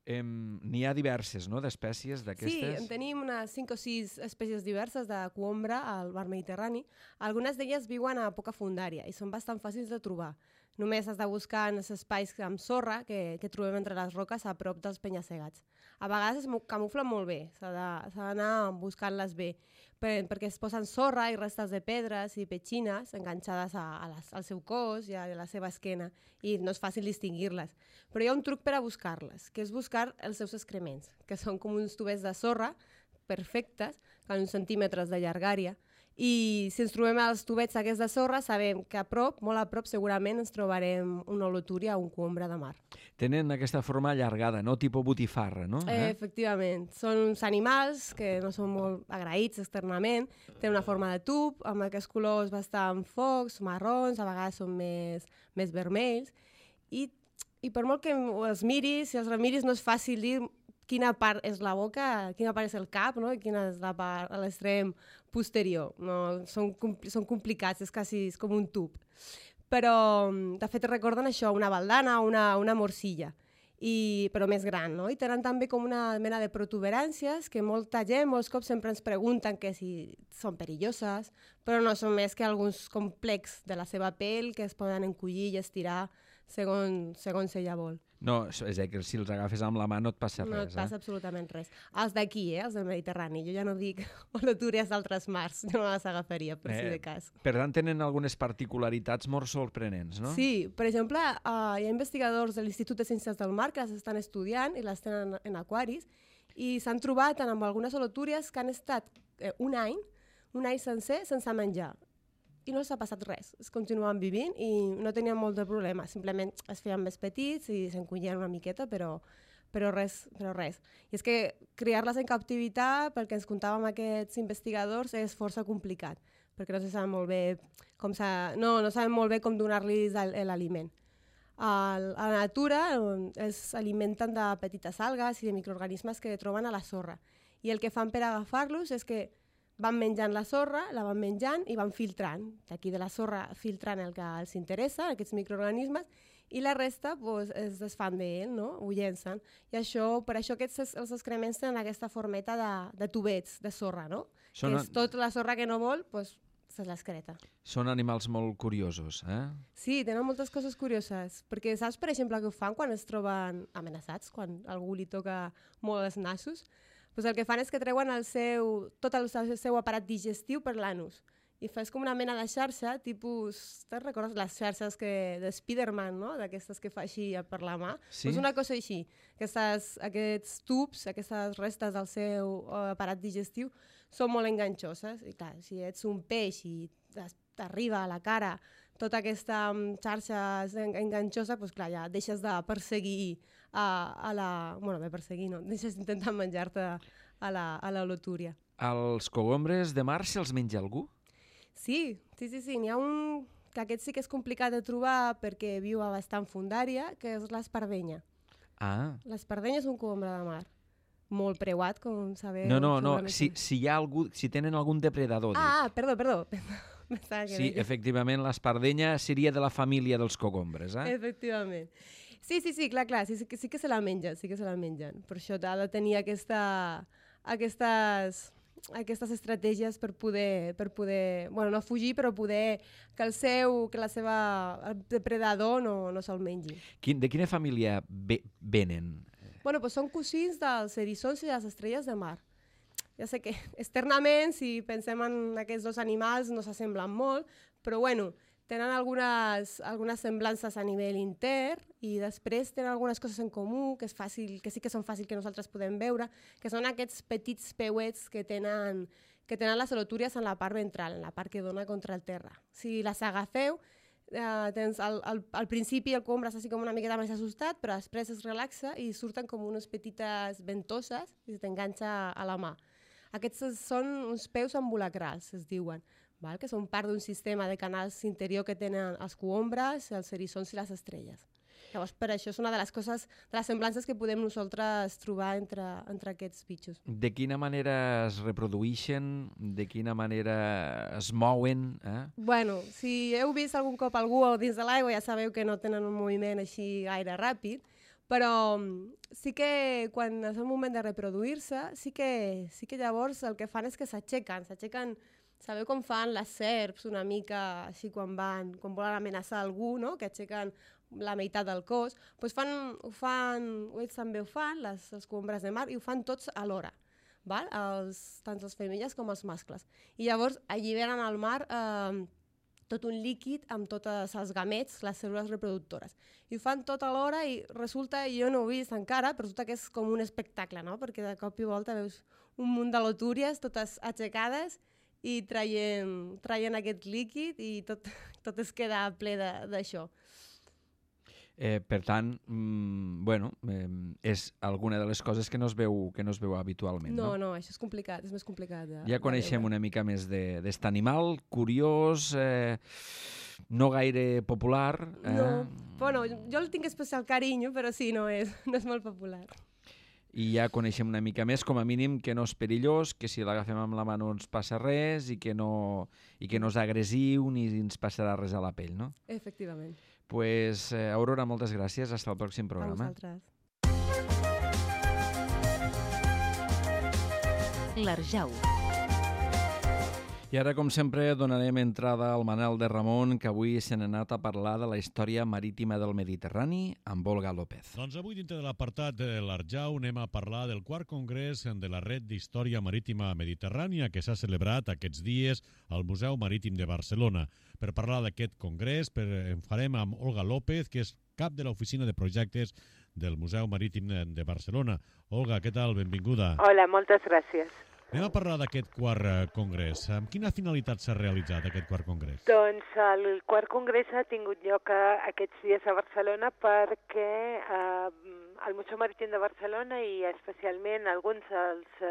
N'hi ha diverses, no?, d'espècies Sí, d'aquestes? en tenim unes 5 o 6 espècies diverses de cohombra al mar Mediterrani. Algunes d'elles viuen a poca fundària i són bastant fàcils de trobar. Només has de buscar en els espais amb sorra que trobem entre les roques a prop dels penya-segats. A vegades es camuflen molt bé, s'ha d'anar buscant-les bé, perquè es posen sorra i restes de pedres i petxines enganxades al seu cos i a la seva esquena, i no és fàcil distingir-les. Però hi ha un truc per a buscar-les, que és buscar els seus excrements, que són com uns tubets de sorra perfectes, amb uns centímetres de llargària, i si ens trobem els tubets aquests de sorra, sabem que a prop, molt a prop, segurament ens trobarem una holotúria o un cohombra de mar. Tenen aquesta forma allargada, no?, tipus botifarra, no? Efectivament. Són uns animals que no són molt agraïts externament, tenen una forma de tub, amb aquests colors bastant focs, marrons, a vegades són més vermells, i per molt que els miris, si els remiris, no és fàcil dir quina part és la boca, quina part és el cap, no?, i quina és la part a l'extrem posterior. No, són complicats, és com un tub. Però, de fet, recorden això, una baldana o una morcilla, però més gran, no? I tenen també com una mena de protuberàncies que molta gent, molts cops sempre ens pregunten que si són perilloses, però no són més que alguns complexos de la seva pell que es poden encollir i estirar segons ella vol. No, és a dir, que si els agafes amb la mà no et passa res. No et passa absolutament res. Els d'aquí, els del Mediterrani, jo ja no dic holotúries d'altres mars, jo no les agafaria, per si de cas. Per tant, tenen algunes particularitats molt sorprenents, no? Sí, per exemple, hi ha investigadors de l'Institut de Ciències del Mar que les estan estudiant i les tenen en aquaris, i s'han trobat amb algunes holotúries que han estat un any sencer sense menjar. I no s'ha passat res, es continuen vivint i no tenien molt de problema, simplement es feien més petits i s'encollien una miqueta, però res. I és que criar-les en captivitat, pel que ens contàvem aquests investigadors, és força complicat, perquè no se saben molt bé no saben molt bé com donar-los l'aliment. A la natura s'alimenten de petites algues i de microorganismes que troben a la sorra, i el que fan per agafar-los és que van menjant la sorra, la van menjant i van filtrant. D'aquí de la sorra filtrant el que els interessa, aquests microorganismes, i la resta es desfan d'ell, no? Ho llencen. I per això els excrements tenen aquesta formeta de tubets de sorra, no? Que és tota la sorra que no vol, se l'excreta. Són animals molt curiosos, eh? Sí, tenen moltes coses curioses, perquè saps, per exemple, què ho fan quan es troben amenaçats, quan algú li toca molt els nassos? El que fan és que treuen tot el seu aparat digestiu per l'anus i fas com una mena de xarxa, tipus, te'n recordes les xarxes de Spiderman, no?, d'aquestes que fa així per la mà? Sí. Una cosa així, aquests tubs, aquestes restes del seu aparat digestiu són molt enganxoses, i clar, si ets un peix i t'arriba a la cara tota aquesta xarxa enganxosa, doncs clar, ja deixes de perseguir deixes d'intentar menjar-te a la holotúria. Els cogombres de mar se'ls menja algú? Sí. N'hi ha un que aquest sí que és complicat de trobar perquè viu a bastant fundària, que és l'espardenya. Ah. L'espardenya és un cogombre de mar. Molt preuat, com sabeu. No. Si tenen algun depredador. Perdó. Sí, efectivament, l'espardenya seria de la família dels cogombres, eh? Efectivament. Sí, clar, sí que se la mengen, Per això ha de tenir aquestes estratègies per poder, no fugir, però poder que el depredador no se'l mengi. De quina família venen? Són cosins dels eriçons i les estrelles de mar. Ja sé que externament, si pensem en aquests dos animals, no s'assemblen molt, però tenen algunes semblances a nivell intern i després tenen algunes coses en comú que sí que són fàcils que nosaltres podem veure, que són aquests petits peuets que tenen les holotúries en la part ventral, en la part que dona contra el terra. Si les agafeu, al principi el cogombre està així com una miqueta més assustat, però després es relaxa i surten com unes petites ventoses i t'enganxa a la mà. Aquests són uns peus ambulacrals, es diuen, que són part d'un sistema de canals interior que tenen els cogombres, els eriçons i les estrelles. Llavors, per això és una de les coses, de les semblances que podem nosaltres trobar entre aquests bitxos. De quina manera es reprodueixen? De quina manera es mouen? Si heu vist algun cop algú dins de l'aigua, ja sabeu que no tenen un moviment així gaire ràpid, Però sí que quan és el moment de reproduir-se, sí que llavors el que fan és que s'aixequen, sabeu com fan les serps una mica així quan volen amenaçar algú, no? Que aixequen la meitat del cos, doncs ells també ho fan, els combres de mar, i ho fan tots alhora, val? Tant les femelles com els mascles. I llavors alliberen al mar tot un líquid amb tots els gamets, les cèl·lules reproductores. I ho fan tot alhora i resulta, jo no ho he vist encara, però resulta que és com un espectacle, no? Perquè de cop i volta veus un munt de lotúries totes aixecades i traient aquest líquid i tot es queda ple d'això. Per tant, és alguna de les coses que no es veu habitualment. No, això és complicat, és més complicat. Ja coneixem una mica més d'est animal, curiós, no gaire popular. No, bueno, jo el tinc especial carinyo, però sí, no és molt popular. I ja coneixem una mica més, com a mínim, que no és perillós, que si l'agafem amb la mà no ens passa res i que no és agressiu ni ens passarà res a la pell, no? Efectivament. Pues, Aurora, moltes gràcies. Hasta el pròxim programa. A vosaltres. L'Arjau. I ara, com sempre, donarem entrada al Manel de Ramon, que avui se n'ha anat a parlar de la història marítima del Mediterrani amb Olga López. Doncs avui, dintre de l'apartat de l'Arjau, anem a parlar del quart congrés de la Red d'Història Marítima Mediterrània, que s'ha celebrat aquests dies al Museu Marítim de Barcelona. Per parlar d'aquest congrés, en farem amb Olga López, que és cap de l'oficina de projectes del Museu Marítim de Barcelona. Olga, què tal? Benvinguda. Hola, moltes gràcies. Anem a parlar d'aquest quart congrés. Amb quina finalitat s'ha realitzat aquest quart congrés? Doncs el quart congrés ha tingut lloc aquests dies a Barcelona perquè el Museu Marítim de Barcelona i especialment alguns dels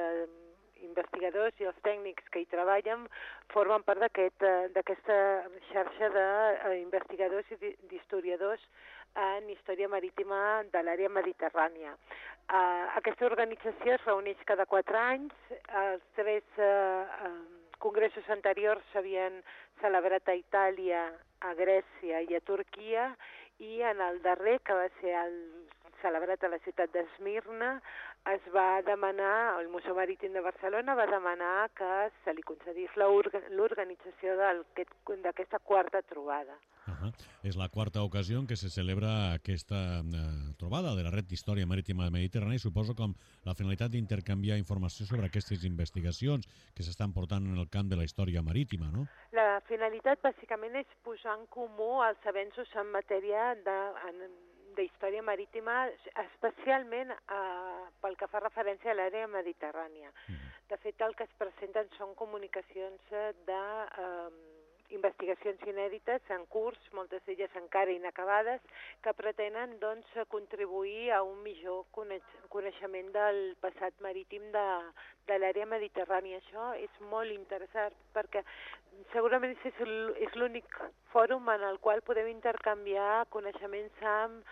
investigadors i els tècnics que hi treballen formen part d'aquesta xarxa d'investigadors i d'historiadors en història marítima de l'àrea mediterrània. Aquesta organització es reuneix cada 4 anys. Els 3 congressos anteriors s'havien celebrat a Itàlia, a Grècia i a Turquia, i en el darrer, que va ser celebrat a la ciutat d'Esmirna, es va demanar, el Museu Marítim de Barcelona va demanar que se li concedís l'organització d'aquesta quarta trobada. És la quarta ocasió en què se celebra aquesta trobada de la Red d'Història Marítima Mediterrània, i suposo com la finalitat d'intercanviar informació sobre aquestes investigacions que s'estan portant en el camp de la història marítima, no? La finalitat bàsicament és posar en comú els avenços en matèria d'història marítima, especialment pel que fa referència a l'àrea mediterrània. De fet, el que es presenten són comunicacions investigacions inèdites en curs, moltes d'elles encara inacabades, que pretenen contribuir a un millor coneixement del passat marítim de l'àrea mediterrània. Això és molt interessant perquè segurament és l'únic fòrum en el qual podem intercanviar coneixements amb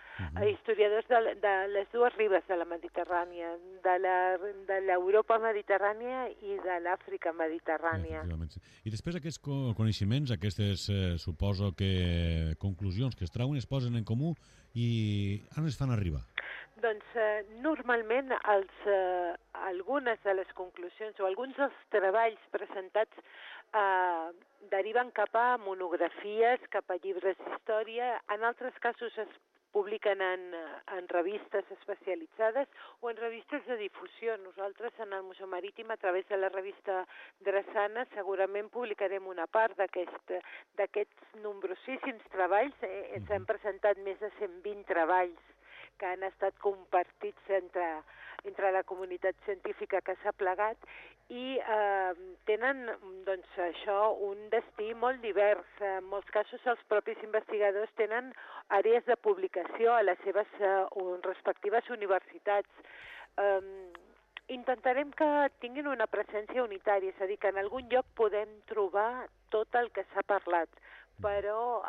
historiadors de les dues ribes de la Mediterrània, de l'Europa mediterrània i de l'Àfrica mediterrània. I després aquests coneixements, aquestes, suposo que conclusions que es trauen, es posen en comú i on es fan arribar? Doncs normalment algunes de les conclusions o alguns dels treballs presentats deriven cap a monografies, cap a llibres d'història. En altres casos es publiquen en revistes especialitzades o en revistes de difusió. Nosaltres en el Museu Marítim, a través de la revista Drassana, segurament publicarem una part d'aquests nombrosíssims treballs. S'han presentat més de 120 treballs que han estat compartits entre la comunitat científica que s'ha plegat i tenen un destí molt divers. En molts casos els propis investigadors tenen àrees de publicació a les seves respectives universitats. Intentarem que tinguin una presència unitària, és a dir, que en algun lloc podem trobar tot el que s'ha parlat, però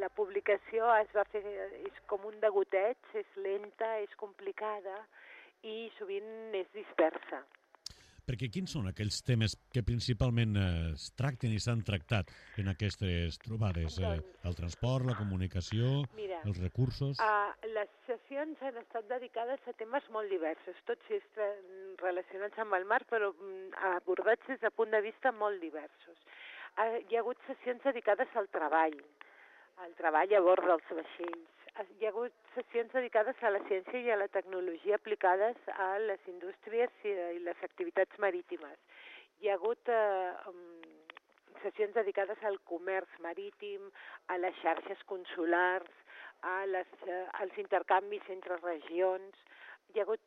la publicació és com un degoteig, és lenta, és complicada i sovint és dispersa. Perquè quins són aquells temes que principalment es tracten i s'han tractat en aquestes trobades? El transport, la comunicació, els recursos? Les sessions exposicions han estat dedicades a temes molt diversos, tots ells relacionats amb el mar, però abordats des de punt de vista molt diversos. Hi ha hagut sessions dedicades al treball a bord dels vaixells. Hi ha hagut sessions dedicades a la ciència i a la tecnologia aplicades a les indústries i les activitats marítimes. Hi ha hagut sessions dedicades al comerç marítim, a les xarxes consulars, als intercanvis entre regions. Hi ha hagut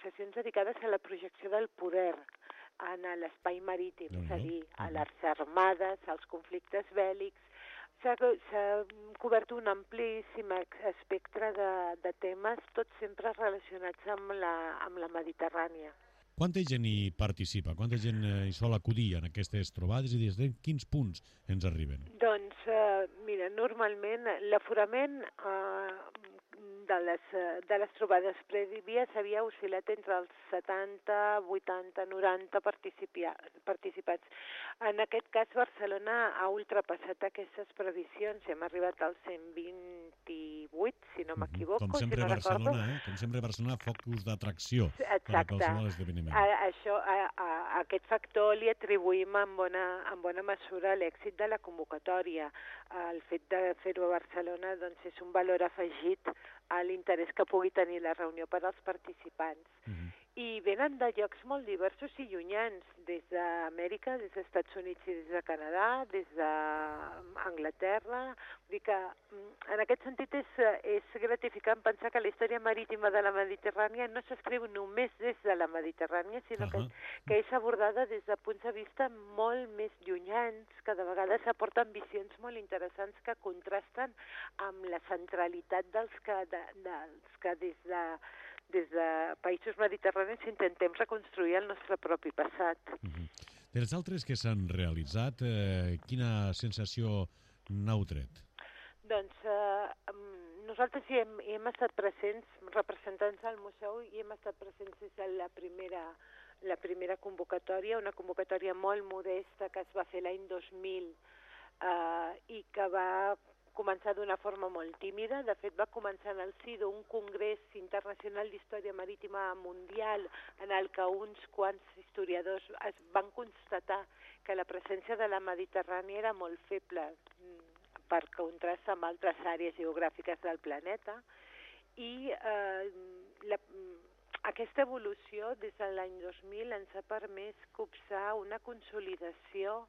sessions dedicades a la projecció del poder en l'espai marítim, és a dir, a les armades, als conflictes bèl·lics. S'ha cobert un amplíssim espectre de temes, tots sempre relacionats amb la Mediterrània. Quanta gent hi participa? Quanta gent hi sol acudir en aquestes trobades i des de quins punts ens arriben? Doncs, mira, normalment l'aforament de les trobades prèvies havia oscil·lat entre els 70, 80, 90 participants. En aquest cas, Barcelona ha ultrapassat aquestes previsions. Hem arribat als 128, si no m'equivoco. Com sempre, Barcelona, focus d'atracció per a qualsevol esdeveniment. Aquest factor li atribuïm en bona mesura l'èxit de la convocatòria. El fet de fer-ho a Barcelona és un valor afegit a l'interès que pugui tenir la reunió per als participants. I venen de llocs molt diversos i llunyans, des d'Amèrica, des dels Estats Units i des de Canadà, des d'Anglaterra. Vull dir que en aquest sentit és gratificant pensar que la història marítima de la Mediterrània no s'escriu només des de la Mediterrània, sinó que és abordada des de punts de vista molt més llunyans, que de vegades aporten visions molt interessants que contrasten amb la centralitat dels que des de països mediterranis intentem reconstruir el nostre propi passat. Dels altres que s'han realitzat, quina sensació n'heu tret? Doncs nosaltres hi hem estat presents, representants del museu, i hem estat presents des de la primera convocatòria, una convocatòria molt modesta que es va fer l'any 2000 i que va començar d'una forma molt tímida. De fet, va començar en el si d'un congrés internacional d'història marítima mundial en el que uns quants historiadors van constatar que la presència de la Mediterrània era molt feble per contrast amb altres àrees geogràfiques del planeta, i aquesta evolució des de l'any 2000 ens ha permès copsar una consolidació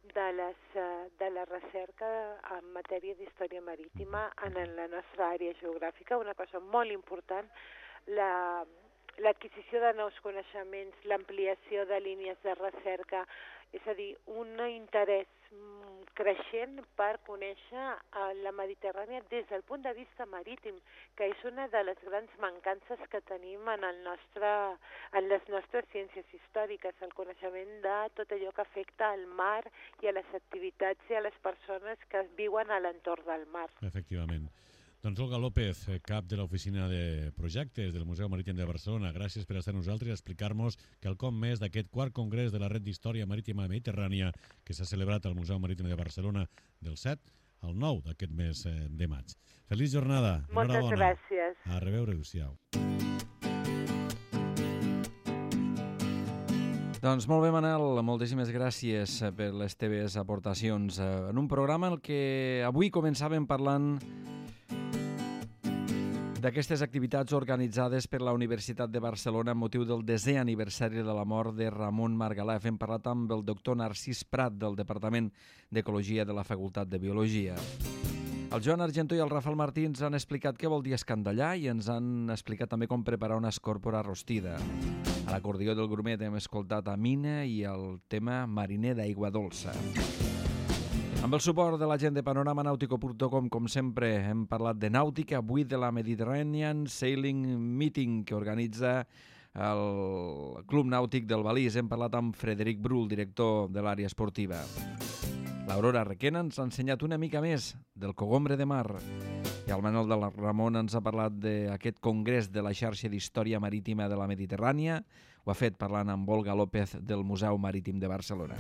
de la recerca en matèria d'història marítima en la nostra àrea geogràfica, una cosa molt important, l'adquisició de nous coneixements, l'ampliació de línies de recerca, és a dir, un interès creixent per conèixer la Mediterrània des del punt de vista marítim, que és una de les grans mancances que tenim en les nostres ciències històriques, el coneixement de tot allò que afecta al mar i a les activitats i a les persones que viuen a l'entorn del mar. Efectivament. Doncs Olga López, cap de l'Oficina de Projectes del Museu Marítim de Barcelona, gràcies per estar amb nosaltres i explicar-nos quelcom més d'aquest quart congrés de la Red d'Història Marítima Mediterrània que s'ha celebrat al Museu Marítim de Barcelona del 7 al 9 d'aquest mes de maig. Feliç jornada. Moltes gràcies. A reveure, adéu-siau. Doncs molt bé, Manel, moltíssimes gràcies per les teves aportacions. En un programa en què avui començàvem parlant d'aquestes activitats organitzades per la Universitat de Barcelona amb motiu del 10è aniversari de la mort de Ramon Margalef. Hem parlat amb el doctor Narcís Prat del Departament d'Ecologia de la Facultat de Biologia. El Joan Argentó i el Rafael Martí ens han explicat què vol dir escandallar i ens han explicat també com preparar una escòrpora rostida. A l'acordió del Grumet hem escoltat a Mina i el tema Mariner d'aigua dolça. Amb el suport de la gent de panoramanautico.com, com sempre, hem parlat de nàutica, avui de la Mediterranean Sailing Meeting que organitza el Club Nàutic del Balís. Hem parlat amb Frederic Brull, director de l'àrea esportiva. L'Aurora Requena ens ha ensenyat una mica més del cogombre de mar. I el Manuel de la Ramon ens ha parlat d'aquest congrés de la xarxa d'història marítima de la Mediterrània. Ho ha fet parlant amb Olga López del Museu Marítim de Barcelona.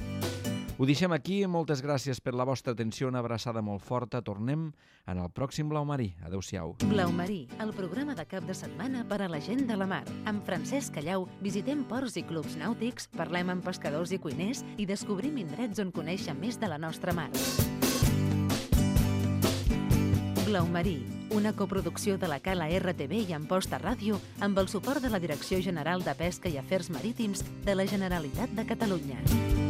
Ho deixem aquí. Moltes gràcies per la vostra atenció. Una abraçada molt forta. Tornem en el pròxim Blau Marí. Adéu-siau. Blau Marí, el programa de cap de setmana per a la gent de la mar. Amb Francesc Callau visitem ports i clubs nàutics, parlem amb pescadors i cuiners i descobrim indrets on conèixer més de la nostra mar. Blau Marí, una coproducció de la Cala RTV i Amposta Ràdio amb el suport de la Direcció General de Pesca i Afers Marítims de la Generalitat de Catalunya.